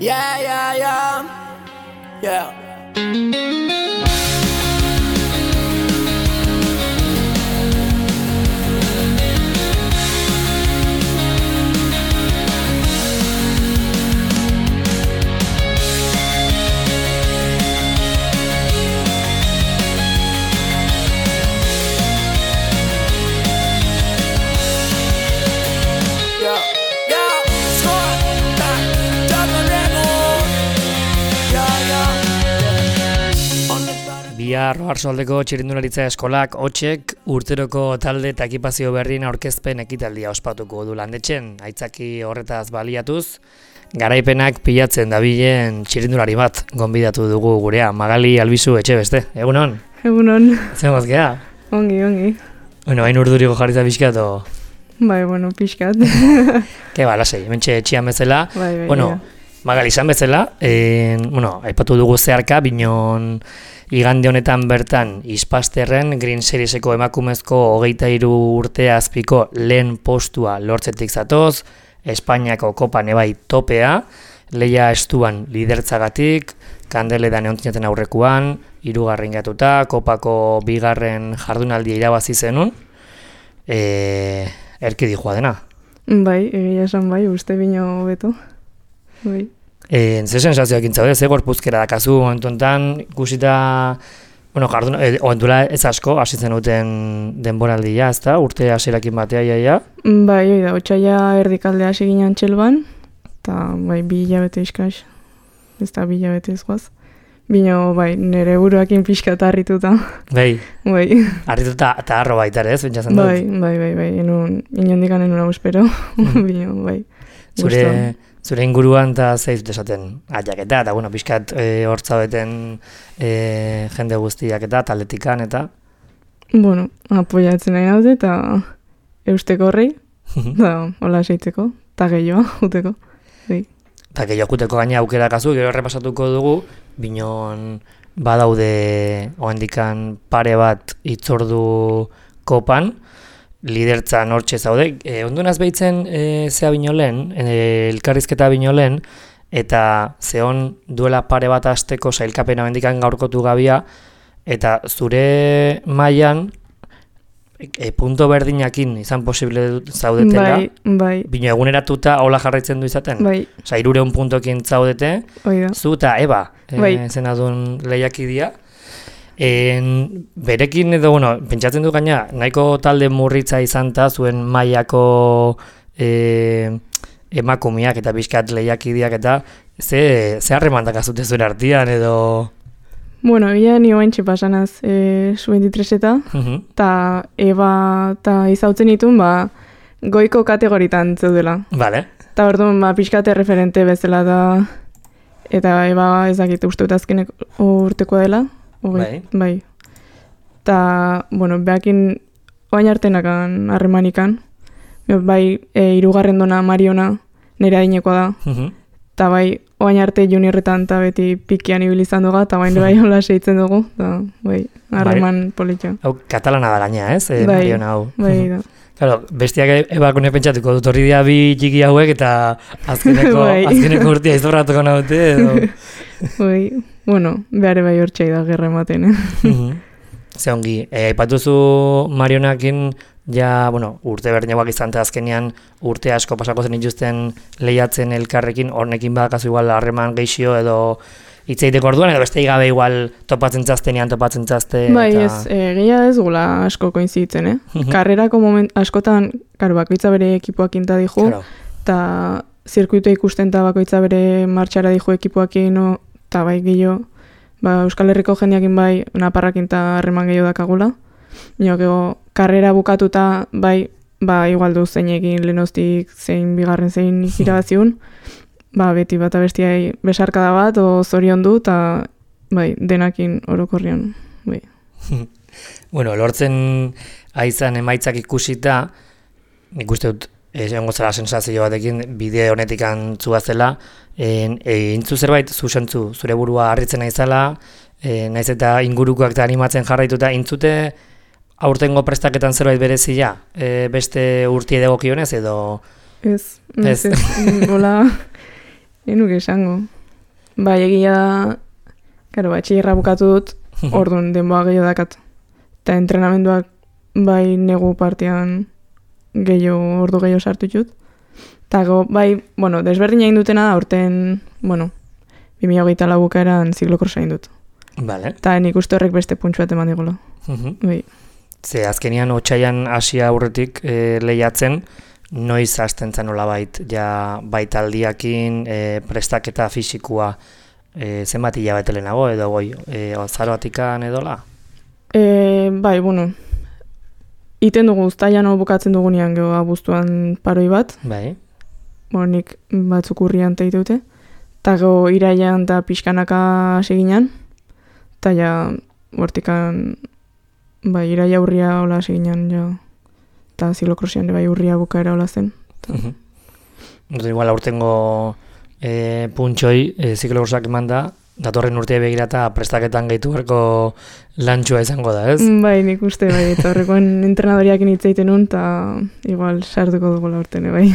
Yeah. Bihar Oarsoaldeko Txirrindularitza Eskolak hotsek urteroko talde eta ekipazio berrien aurkezpen ekitaldia ospatuko du Landetxen. Aitzaki horretaz baliatuz, garaipenak pilatzen dabilen txirrindulari bat gonbidatu dugu gurea. Magali Albizu Etxebeste, egunon? Egunon. Zer gozkea? Ongi. Bueno, hain urduriko jarritza pixkat o... Bai, pixkat. Ke ba, lasei, hementxe etxian bezala. Bai, bueno, Magali izan bezala, aipatu dugu zeharka, binon igande honetan bertan Ispasterren Green Serieseko emakumezko 23 urte azpiko lehen postua lortzetik zatoz, Espainiako kopan ebai topea, leia estuan lidertzagatik, Kandeledan eontzinaten aurrekuan, 3. gatuta, kopako 2. jardunaldia irabazi zenun, erki dijoa dena. Bai, egia esan bai, uste bino beto. Bai. Ze sensazioak intzaude, ze gorpuzkera dakazu momentuan ikusita, oentuela ez asko, hasi zenuten denboraldia, ezta? Urte hasierakin batea, iaia? Bai, oida, otsaia erdikaldea hasi ginen Txelban, eta bai, 2 hilabete iskaz, ez da 2 hilabete ezgoaz. Bino, bai, nire buruakin pixka eta harrituta. Bai, bai. Harrituta eta harro baita ere, ez, bentsatzen dut? Bai, inondikan enuna uspero, bino, bai. Zure inguruan eta zeiz desaten aiaketa, eta pixkat hortzabeten jende guztiak eta taldetikan eta... Apoiatzen nahi naude eta eusteko horrei, eta hola seitzeko, eta gehiago uteko. Eta gehiago uteko gaina aukera kazu, gero errepasatuko dugu, binon badaude oendikan pare bat itzordu kopan, lidertzan hortxe zaude. Ondunaz behitzen zea bino lehen, elkarrizketa bino lehen, eta zehon duela pare bat asteko sailkapena bendikan gaurkotu gabia, eta zure mailan punto berdinakin izan posible zaudetela, bai. Bino eguneratuta hola jarraitzen du izaten? Bai. 300 puntokin zaudete, zu eta Eba, zenadun lehiakidia. Berekin edo, pentsatzen du gaina, nahiko talde murritza izan ta zuen mailako emakumeak eta bizkat lehiakideak eta ze harremandak azute zuen artean edo... Ia nio haintxe pasanaz Sub-23 eta Eba eta izautzen ditun, goiko kategoritan zeudela. Vale. Eta orduan, pixkate referente bezala eta Eba ez dakit uste azkenek urtekoa dela. Bai. Eta, behakin oain artenakan harremanikan. Bai, 3. dona Mariona nire adinekoa da. Eta bai, oain arte juniorretan eta beti pikian ibilizan dugu, eta bain bai hola seitzen dugu. Eta bai, harreman politxo. Hau katalana da gaina, ez? Bai, Mariona hau. Bai, da. Claro, bestiak ebakune pentsatuko dut horri dia 2 txiki hauek eta azkeneko urtia izorratuko naute edo... Bai, behar bai hortxai da gerra ematen, Ze ongi, aipatuzu Marionakin urte berdinagoak izan azkenean urte asko pasako zen dituzten lehiatzen elkarrekin, hornekin badakazu igual harreman geixio edo hitzeiteko orduan, edo beste gabe igual topatzen txazte... Bai, ez, gehia ez gula asko koinzitzen, Karrerako askotan, bakoitza bere ekipoak inta dijo, eta zirkuitu ikusten eta bakoitza bere martxara dijo ekipoakin, eta bai gehiago, Euskal Herriko jendeakin bai naparrakin eta harreman gehiago dakagula. Gero, karrera bukatuta bai, igual du zeinekin lehenoztik zein bigarren zein irabaziun, beti bat abestiai besarkada bat, zorion du, eta denakin orokorrian. Bai. Lortzen aizan emaitzak ikusita, nik uste dut, egongo zela sensazio batekin, bide honetik antzuazela, intzu zerbait, zure burua harritzen naizela, naiz eta ingurukoak eta animatzen jarraituta, intzute aurtengo prestaketan zerbait berezia, beste urtie degokionez edo... Ez, bola, Nuke esango. Bai, egia da, karo, batxillerra bukatu dut, orduan denboa gehiago dakat. Eta entrenamenduak bai negu partian ordu gehiago sartu jut. Eta bai, bueno, desberdin egin dutena da, orten, bueno, 2024 bukaeran ziklokrosa egin dut. Vale. Eta nik uste horrek beste puntsu bat eman digula. Bai. Ze azkenian otsaian hasia aurretik lehiatzen, noiz hasten zen nolabait, ja baitaldiakin prestaketa fisikua zenbat hilabete lehenago edo goi, azaroatikan edola? Bai, bueno, iten dugu uztaian bukatzen dugunean geho abuztuan paroi bat. Bai. Bueno, nik batzuk urrian teite dute. Eta geho iraian eta pixkanaka hasi ginen. Eta ja, hortikan, bai, iraia urria hola hasi ginen, ja. Eta ziklokrosian bai urria bukaera hola zen. Igual aurtengo puntxoi ziklokrosak eman da, datorren urtea begira eta prestaketan gehitu berko lantxua izango da, ez? Bai, nik uste, bai, eta horrekoen entrenadoriak initzeiten nun, eta igual sartuko dugu laurten, bai.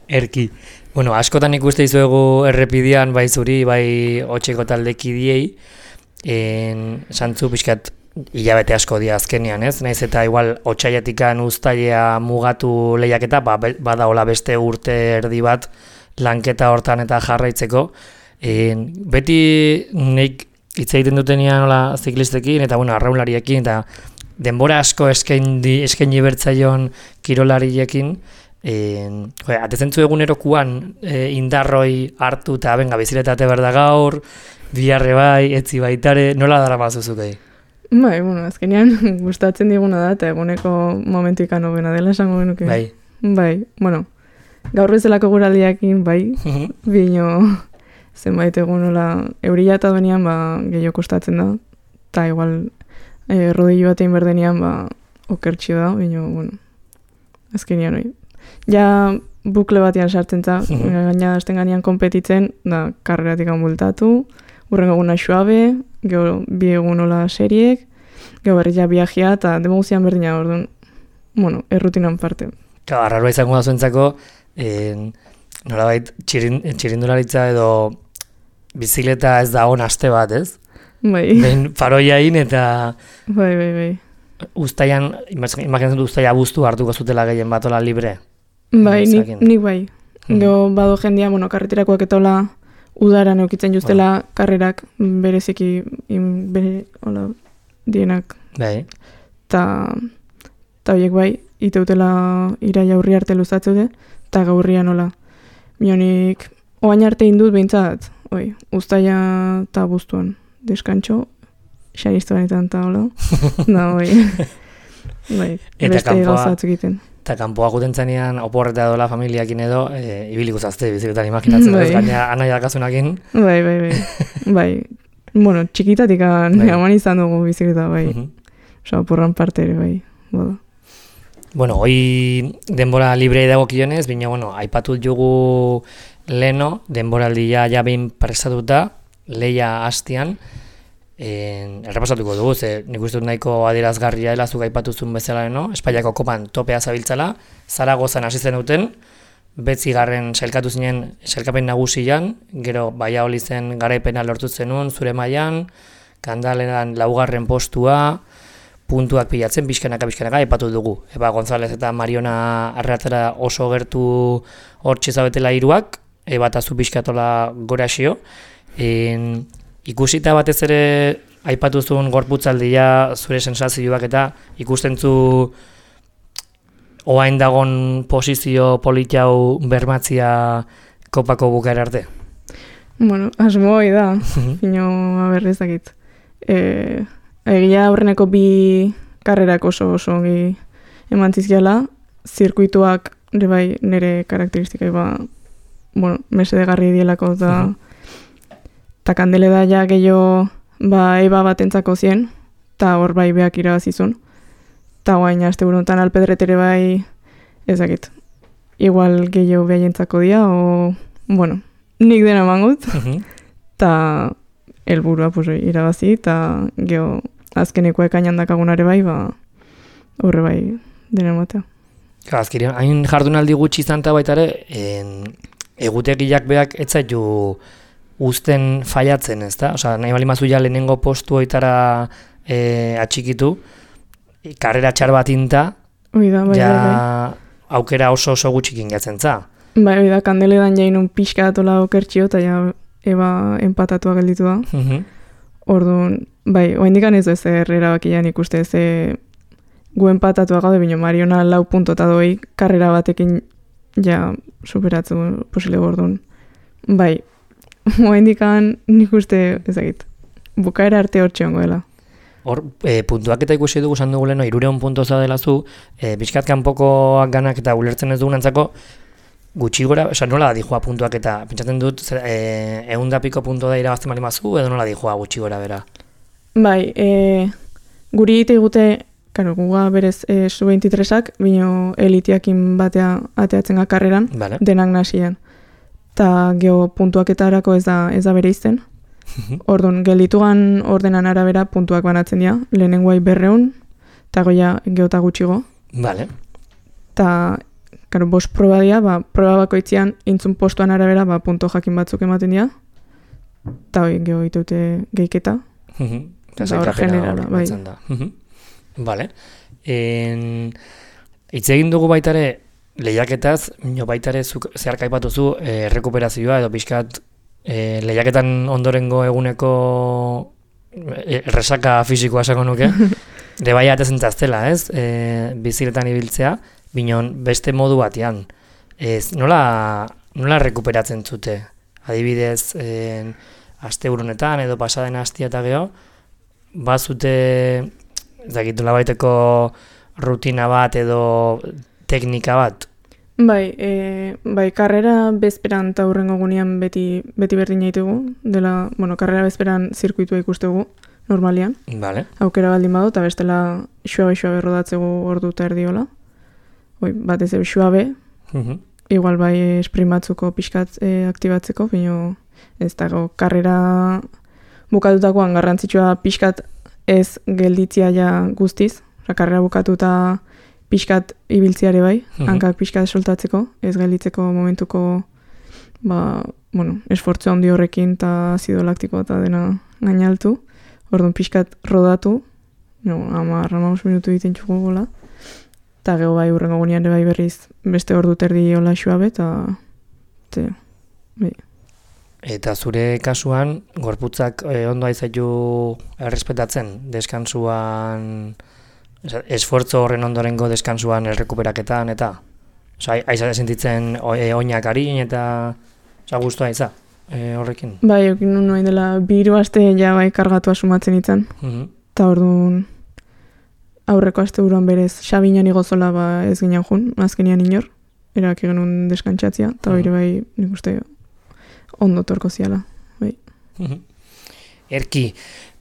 Erki. Bueno, askotan ikuste izuegu errepidean, bai zuri, bai otxeko taldekidiei, santzu pixkat hilabete asko dia azkenean, ez? Naiz eta igual otsaiatikan uztailea mugatu lehiaketa, bada hola beste urte erdi bat lanketa hortan eta jarraitzeko. Beti nik hitz egiten dutenean hola ziklistekin eta bueno, arraunlariekin eta denbora asko eskaini bertzaion kirolariekin, atezentzu egunerokuan indarroi hartu eta benga biziletate berda gaur, biharre bai, etzi baitare, nola dara mazuzukei? Bai, bueno, azkenean gustatzen diguna da eta eguneko momentu ikan hobena dela esango genuke. Bai. Bai, bueno, gaur bezalako guraldiakin, bai, bino zenbait egun nola eurila eta benean gehiago kostatzen da, eta igual rodillo batein berdenean okertxio da, bino, bueno, azkenean hori. Ja bukle batean sartzen za, gaina azten ganean konpetitzen, da karreratik bultatu, urrengo eguna Xuabe, gero bi egun hola seriek, gero berri ja viajea eta demoguzian berdina orduan, bueno, errutinan parte. Claro, arraroa izango da zuentzako, nolabait txirindularitza edo bizikleta ez da on aste bat, ez? Bai. Behin paroiain eta Bai. Uztaian, imaginatzen du uztaia abuztu hartuko zutela gehien bat ola libre? Bai, nik bai. Gero bado jendia, bueno, karreterakoak eta hola udaran eukitzen justela karrerak bereziki bere hola dienak. Bai. Ta horiek bai, iteutela iraia urri arte luzatzeude, eta gaurrian hola. Mionik, oain arte indut behintzat, uztaia eta abuztuan deskantxo, xaristu benetan eta hola. Da, bai, beste gauzatzuk egiten. Eta kanpoa guten zanean, oporreta dola familiakin edo, ibiliko zazte biziketan imaginatzen, ez gaina anaia dakazunakin. Bai, bueno, txikitatik aman izan dugu biziketa, bai. Osa, oporran parte ere, bai, bada. Bueno, hoi denbora librei dagokionez, baina, bueno, aipatut jugu leno, denboraldia ja behin prestatuta, lehia hastian, errepasatuko dugu, ze nik uste dut nahiko adierazgarria dela zuk aipatuzun bezala, Espainiako kopan topea zabiltzala, Zaragozan hasi zen duten, 9. sailkatu zinen sailkapen nagusian, gero Baiaoli zen garaipena lortu zenun, zure mailan, Kandaleran 4. postua, puntuak pilatzen, pixkanaka, aipatu dugu. Eba González eta Mariona Arreatara oso gertu hortxe zabetela hiruak, eba eta zu pixkatola goraxio. Ikusita batez ere aipatu zuen gorputzaldia zure sensazioak eta ikusten zu oain dagon posizio politiau bermatzia kopako bukaera arte? Bueno, asmo hoi da, ino aberrezakit. Egia aurreneko 2 karrerak oso ongi eman zizkiala, zirkuituak bai nire karakteristikai bueno, mesedegarri dielako eta kandele da ja gehiago eba batentzako zien, eta hor bai beak irabazizun. Eta guain aste burontan alpedretere bai ezakit. Igual gehiago behaientzako dia, bueno, nik dena mangut, eta helburua irabazi, eta geho azkeneko ekainan dakagunare bai, horre bai dena matea. Azkenean, hain jardunaldi gutxi izan eta baita ere, egutegiak beak ez zaitu uzten faiatzen, ezta? Osea, nahi bali mazu ja lehenengo postu hoitara atxikitu, karrera txar bat inta, ja aukera oso gutxikin gatzen za. Bai, da, Kandeledan jainun pixka atola okertxio, eta ja eba empatatua gelditu da. Orduan, bai, oaindikan ez ez erabakian ikuste ze gu empatatua gaude, bino Mariona 4 punto eta doi karrera batekin ja superatzu posile orduan. Bai, oaindikan nik uste ezagit, bukaera arte hor txongoela. Hor, puntuak eta ikusi dugu esan dugu leno, 300 puntoza dela zu, bizkat kanpokoak ganak eta ulertzen ez dugunantzako, gutxi gora, oza, nola da dijoa puntuak eta, pentsatzen dut, 100 piko punto da irabazten bali mazu, edo nola dijoa gutxi gora bera? Bai, guri egite igute, karo, guga berez sub-23ak, bino elitiakin batea ateatzen karreran, vale. Denak nasian. Ta geho puntuaketarako ez da bere izten. Orduan, gelditugan ordenan arabera puntuak banatzen dira, lehenengoai 200, eta goia geota gutxigo. Vale. Ta, karo, 5 proba dira, proba bakoitzean intzun postuan arabera, punto jakin batzuk ematen dira, eta hoi geho iteute geiketa. Eta hor generala, bai. Vale. Hitz egin dugu baitare lehiaketaz, baitare zeharka aipatuzu errekuperazioa edo pixkat lehiaketan ondorengo eguneko resaka fisikoa esango nuke, rebaia atezen taztela, ez? Biziletan ibiltzea, binon beste modu batean. Nola rekuperatzen zute? Adibidez, asteburunetan edo pasaden astia eta geho, bazute, ezakitula baiteko rutina bat edo teknika bat? Bai, karrera bezperan eta hurrengo gunean beti berdin jaitugu, dela, karrera bezperan zirkuitua ikustegu, normalian. Vale. Aukera baldin badu, eta bestela xuabe rodatzegu ordu eta erdiola. Batez xuabe, igual bai sprint batzuko pixkat aktibatzeko, bino ez dago karrera bukatutakoan garrantzitsua pixkat ez gelditzia ja guztiz, karrera bukatuta pixkat ibiltziare bai, hankak pixkat soltatzeko, ez gelditzeko momentuko esfortzu handi horrekin eta azido laktiko eta dena gainaltu. Orduan pixkat rodatu, 10 minutu egiten txugu gola. Eta geho bai hurrengo gunean bai berriz beste ordu terdi hola xuabe eta bai. Eta zure kasuan, gorputzak ondo aizaitu errespetatzen, deskansuan, esfortzo horren ondorengo deskansuan errekuperaketan, eta aiza sentitzen oinak harin, eta guztua aiza horrekin. Bai, okin nuen dela 2 aste ja bai kargatu asumatzen itzan. Eta orduan aurreko aste buruan berez Xabinan igozola ez ginen jun, azkenian inor, erak genuen deskantzatzia, eta hori bai nik uste ondo torko ziala, bai. Erki,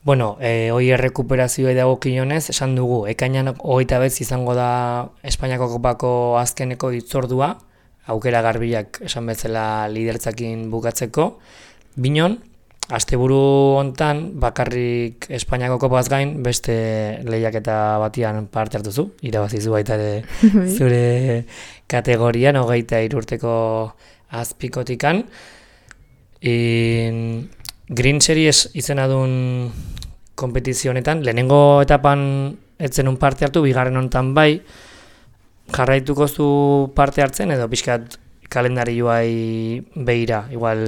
hoi errekuperazioa dagokionez, esan dugu, ekainan 29 izango da Espainiako kopako azkeneko hitzordua, aukera garbiak esan bezala lidertzakin bukatzeko, binon, asteburu hontan bakarrik Espainiako kopaz gain beste lehiaketa batian parte hartuzu, irabazizu baita ere zure kategorian, 23 urteko azpikotikan. Green Series izena duen kompetizionetan, lehenengo etapan etzenun parte hartu, bigarren honetan bai, jarraituko zu parte hartzen edo pixkat kalendarioai behira, igual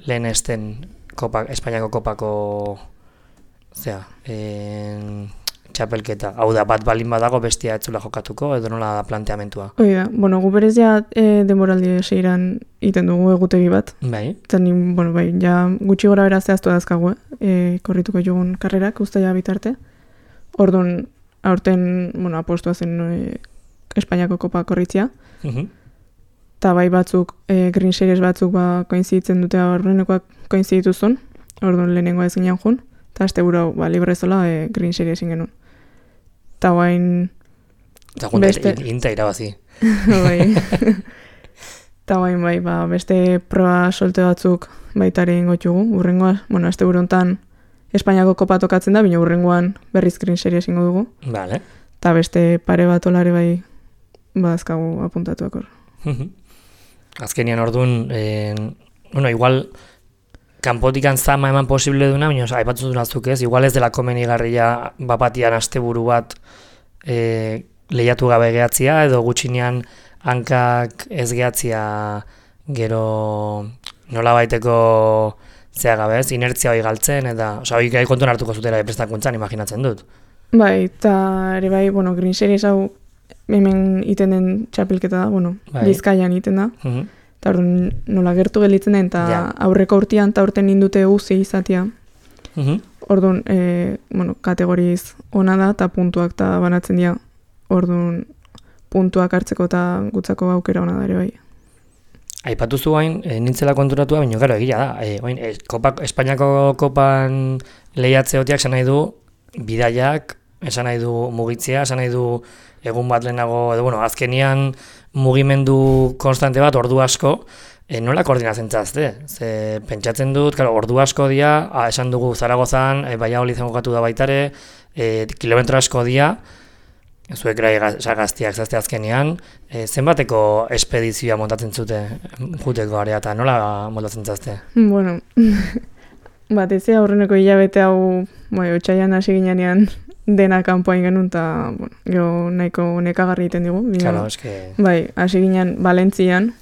lehen esten Espainiako kopako txapelketa. Hau da, bat balin badago bestia etzula jokatuko, edo nola da planteamentua? Hoi da, gu berez ja denboraldi seiran iten dugu egutegi bat. Bai. Eta bai, ja gutxi gora bera zehaztu dazkagu, korrituko jogun karrerak, usteia bitarte. Orduan, aurten, apostua zen Espainiako kopa korritzia. Eta bai batzuk, Green Series batzuk koinziditzen dute horrenekoak koinzidituzun, orduan lehenengoa ez ginen jun, eta azte burau, librezola Green Series genuen. Eta guain... Eta inta irabazi. Bai. Eta guain bai, beste proba solte batzuk baitari ingotxugu, urrengoa, azte buru hontan Espainiako kopa tokatzen da, bina urrengoan berriz Green Series ingo dugu. Vale. Eta beste pare bat olare bai badazkagu apuntatuak hor. Azkenian orduan, bueno, igual kanpotikan zama eman posible duna, baina aipatzu dunaztuk ez, igual ez dela komenigarria bapatian asteburu bat lehiatu gabe gehatzia, edo gutxinean hankak ez gehatzia gero nola baiteko zea gabe ez, inertzia hori galtzen, eta hori gai kontuan hartuko zutela prestakuntzan, imaginatzen dut. Bai, eta ere bai, bueno, Green Series hau hemen iten den txapelketa da, bueno, Bizkaian iten da. Eta orduan nola gertu gelitzen den, eta aurreko urtean eta urten nindute uzi izatea. Orduan, bueno, kategoriz ona da, eta puntuak eta banatzen dira. Orduan, puntuak hartzeko eta gutzako aukera ona da ere bai. Aipatu zu hain, nintzela konturatua, baina gero egia da. Espainiako kopan lehiatzeotiak esan nahi du bidaiak, esan nahi du mugitzea, esan nahi du egun bat lehenago, edo, bueno, azkenian mugimendu konstante bat, ordu asko, nola koordinatzen zazte? Ze pentsatzen dut, ordu asko dia, esan dugu Zaragozan, Valladolid jokatu da baitare, kilometro asko dia, zuek gaztiak zazte azkenean, zenbateko espedizioa montatzen zute juteko area, eta nola montatzen zazte? Bueno, batez aurreneko hilabete hau, otsailean hasi ginean dena kanpoan genuen, eta bueno, geho nahiko nekagarri egiten digu. Claro, eske... Bai, hasi ginen Valentzian,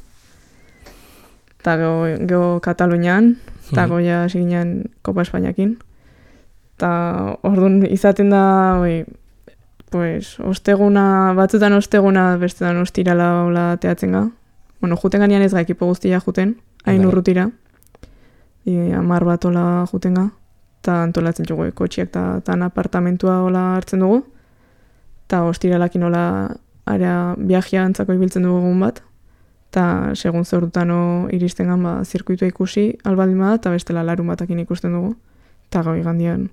eta geho Katalunian, eta goia hasi ginen Kopa Espainiakin. Eta orduan izaten da, pues, osteguna, batzutan osteguna, bestetan ostirala hola teatzen ga. Bueno, juten ganean ez ga ekipo guztia juten, hain urrutira. 10 bat hola juten ga. Eta antolatzen dugu kotxiak eta apartamentua hola hartzen dugu. Eta ostiralakin hola area viajea antzako ibiltzen dugu egun bat. Eta segun zordutan iristen gan, zirkuitua ikusi, albaldin bada, eta bestela larun batakin ikusten dugu. Eta gau igandian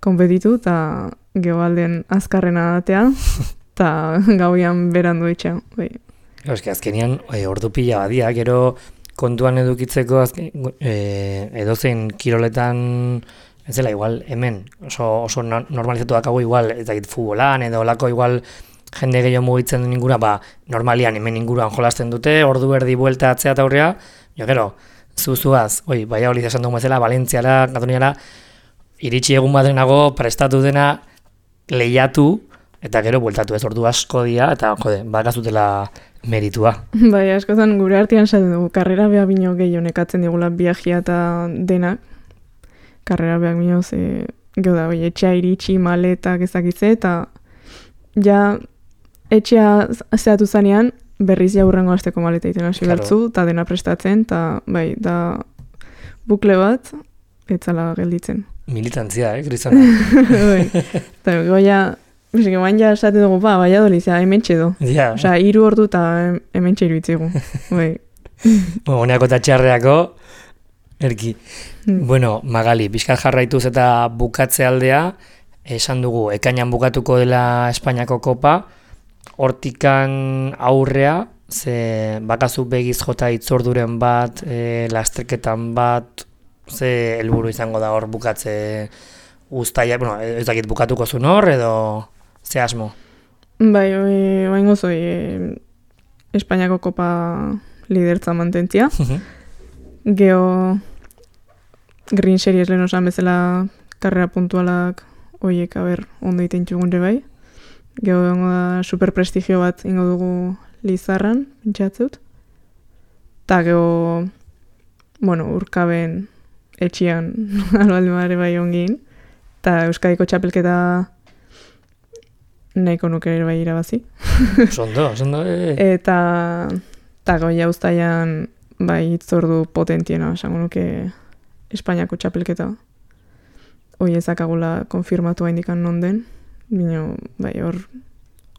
konpetitu, eta gehoalden azkarrena datea, eta gauian berandu etxea. Azkenian, ordu pila badia, gero kontuan edukitzeko edozein kiroletan, ez dela, igual, hemen, oso normalizatu dakago igual, ez dakit futbolan, edo olako igual jende gehiago mugitzen den ingura, normalian hemen inguruan jolasten dute, ordu erdi buelta atzea eta aurrea, gero, zuzuaz, Valladolid esan dugu bezala, Valentziara, Kataluniara, iritsi egun badenago, prestatu dena, lehiatu, eta gero bueltatu ez ordu asko dira, eta bakazutela meritua. Bai, askotan gure artean esaten dugu, karrera beha bino gehiago nekatzen digula viajia eta denak. Karrera beha bino, geho da, etxea iritsi, maletak ezakitze, eta ja etxea zehatu zanean, berriz jaurrengo asteko maleta egiten hasi bertzu, eta dena prestatzen, eta bai, da bukle bat, etzala gelditzen. Militantzia, Kristana? Bai, eta goia, bain ja esaten dugu, Valladolid, hemen txedo. Osa, 3 ordu eta hemen txeru itzigu. Honeako eta txarreako, erki. Bueno, Magali, pixkat jarraituz eta bukatze aldea, esan dugu, ekainan bukatuko dela Espainiako kopa, hortikan aurrea, ze bakazu begiz jota itzorduren bat, lasterketan bat, ze helburu izango da hor bukatze guztaia, bueno, ez dakit bukatuko zuen hor, edo ze asmo? Bai, oain gozoi Espainiako kopa lidertza mantentzia. Geho Green Series lehen osan bezala karrera puntualak oiek, ondo iten txugunre bai. Geho da superprestigio bat ingo dugu Lizarran, pentsatzut. Eta geho, bueno, urkaben etxian albaldin badare bai ongin. Eta Euskadiko txapelketa nahiko nuke ere bai irabazi. Sondo. Eta goia uztaian bai itzordu potentiena, esango nuke Espainiako txapelketa. Hoi ezakagula konfirmatu haindikan non den, bino bai hor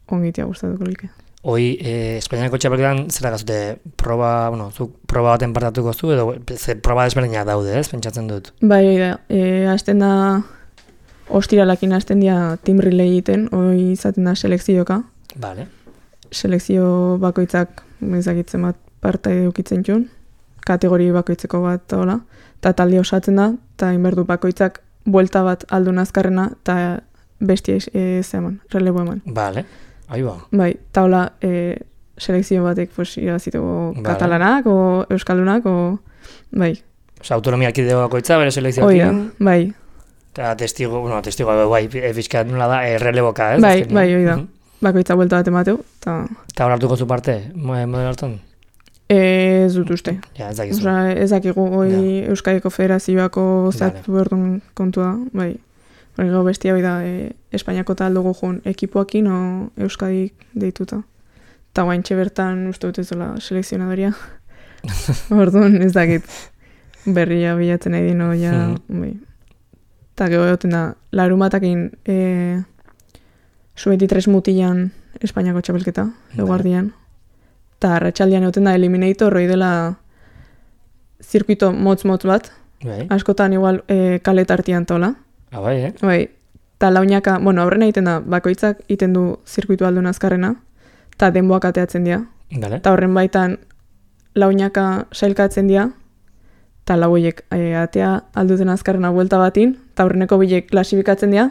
ongitea gustatuko like. Hoi, Espainiako txapelketan zera gazute proba, zuk proba baten partatuko zu, edo proba desberdinak daude, ez, pentsatzen dut? Bai, hasten da, ostiralakin hasten dira team relay egiten, hoi izaten da selekzioka. Vale. Selekzio bakoitzak, ezagitzen bat partai edukitzen txun, kategori bakoitzeko bat, hola, eta talde osatzen da, eta inberdu bakoitzak buelta bat aldun azkarrena, eta bestia zeman, relebo eman. Vale. Aiba. Bai, eta hola, selekzio batek pues, irabaziteko katalanak, o euskaldunak, o bai. Osa, autonomia erkidego bakoitza, bere selekzioekin. Bai. Eta testigo, bai, fiskat nola da, erreleboka, ez? Bai, hoi da. Bakoitza buelta bat emateu. Eta hor hartuko zu parte, modelo hartan? Ez dut uste. Ja, ez dakizu. Osa, ez dakigu hoi Euskadiko Federazioako zatu berdun kontua, bai. Hori gau bestia hoi da, Espainiako tal dugu joan ekipoakin o Euskadik deituta. Eta guaintxe bertan uste dut ez dola selekzionadoria. Orduan ez dakit berria bilatzen nahi dino, ja, bai. Eta gero egoten da, larumatakin Sub-23 mutilan Espainiako txapelketa, eguardian. Eta arratsaldean egoten da, Eliminator hori dela zirkuito motz-motz bat. Askotan igual kaletartian tola. Bai, Bai, eta launaka, aurrena egiten da, bakoitzak egiten du zirkuitu aldun azkarrena, eta denboak ateatzen dira. Eta horren baitan launaka sailkatzen dira, eta lauiek atea alduten azkarrena buelta batin, eta horreneko bilek klasifikatzen dira,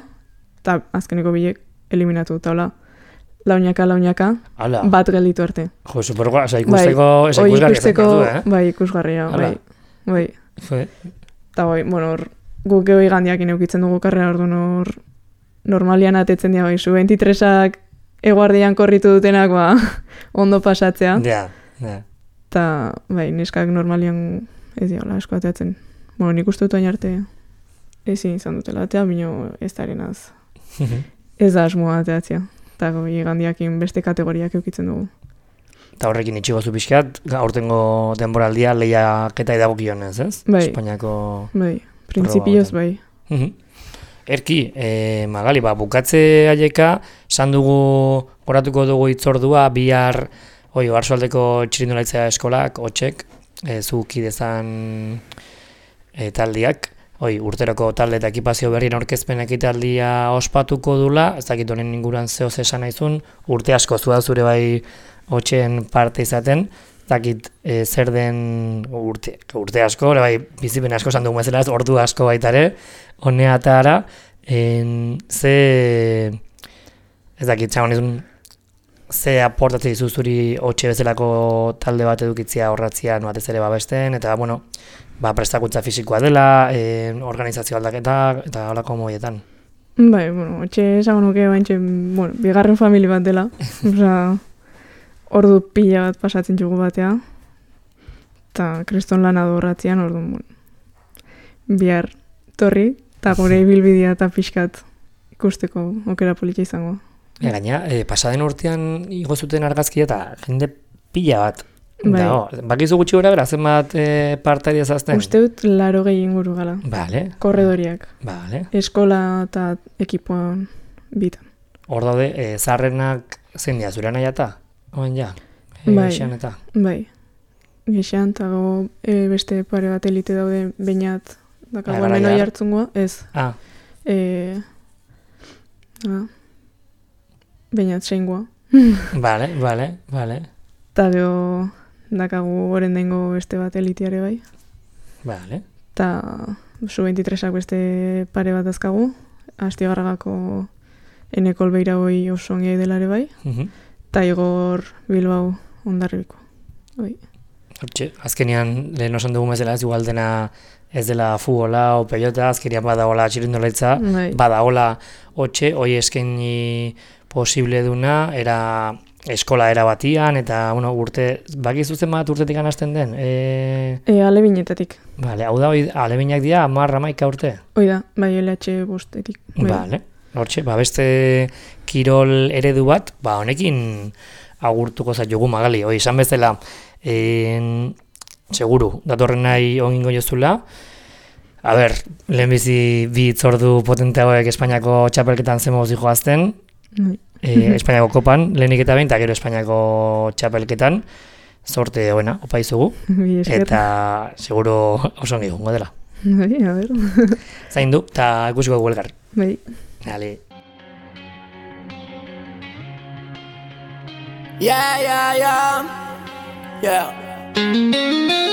eta azkeneko bilek eliminatu, eta hola, launaka, bat gelditu arte. Jo, supergoa, ikusteko ikusgarria zen, Bai, ikusgarria, bai. Eta bai, guk geho igandiakin eukitzen dugu karrera, orduan hor normalian atetzen dira, bai, Sub-23ak eguardian korritu dutenak, ondo pasatzea. Ja. Eta, bai, neskak normalian ez dira, asko ateatzen. Nik uste dut oin arte ezin izan dutela atea, bino ez da arenaz. Ez da asmoa ateatzea. Eta igandiakin beste kategoriak eukitzen dugu. Eta horrekin itxigo zu pixkat, aurtengo denboraldia lehiaketa edagokionez, ez? Bai. Espainiako... Bai. Printzipioz bai. Erki, Magali, bukatze aieka, esan dugu, oratuko dugu itzordua, bihar, Oarsoaldeko txirindulaitzea eskolak, hotxek, zuki dezan taldiak, urteroko talde eta ekipazio berrien aurkezpen ekitaldia ospatuko dula, ez dakit honen inguruan zehoz esan naizun, urte asko zua zure bai hotxen parte izaten, dakit zer den urte asko, bai, bizipen asko esan dugu bezala ez, ordu asko baitare, honea eta ara, ez dakit, txagonizun, ze aportatzen dizu zuri hotxe bezalako talde bat edukitzia horratzia batez ere babesten, eta, prestakuntza fisikoa dela, organizazio aldaketa, eta holako moietan. Bai, hotxe esango nuke, bigarren famili bat dela, ordu pila bat pasatzen txugu batea, eta kriston lana dorratzean, orduan, bihar torri, eta gure ibilbidea eta pixkat ikusteko okera politia izango. Gaina, pasaden urtean igo zuten argazkia eta jende pila bat. Bai. Bakizu gutxi gora bera, zenbat partaria zazten? Uste dut 80 inguru gala. Bale. Korredoriak. Bale. Eskola eta ekipoan bitan. Hor daude, zaharrenak zein dira, zure nahi eta? Oen ja, gexean eta? Bai, gexean eta beste pare bat elite daude bainat dakagoa menoi hartzungoa, ez. Bainat seingoa. Bale. Eta gero dakagu oren dengo beste bat eliteare bai. Bale. Eta Sub-23ak beste pare bat azkagu, Astigarragako Enekol Beira hoi oso ongi delare bai. Eta Igor Bilbao Hondarribiko. Hortxe, azkenean lehen osan dugu bezala ez igual dena ez dela futbola o pelota, azkenean badagola txirindularitza, badagola hotxe, hoi eskaini posible duna, era eskola era batian, eta urte, bakizu zen bat urtetik anazten den? Alebinetatik. Bale, hau da, alebinak dira, 10-11 urte? Hoi da, bai LH bostetik. Bale. Hortxe, beste kirol eredu bat, honekin agurtuko zaitugu Magali, izan bezala, seguru, datorren nahi ongingo jozula, lehenbizi bi itzordu potente hauek Espainiako txapelketan zemoz joazten, Espainiako kopan, lehenik eta behin, eta gero Espainiako txapelketan, sorte hoena, opa izugu, eta seguru oso ongi gongo dela. Zain du, eta ikusiko dugu elgar. Bai. Dale. Yeah.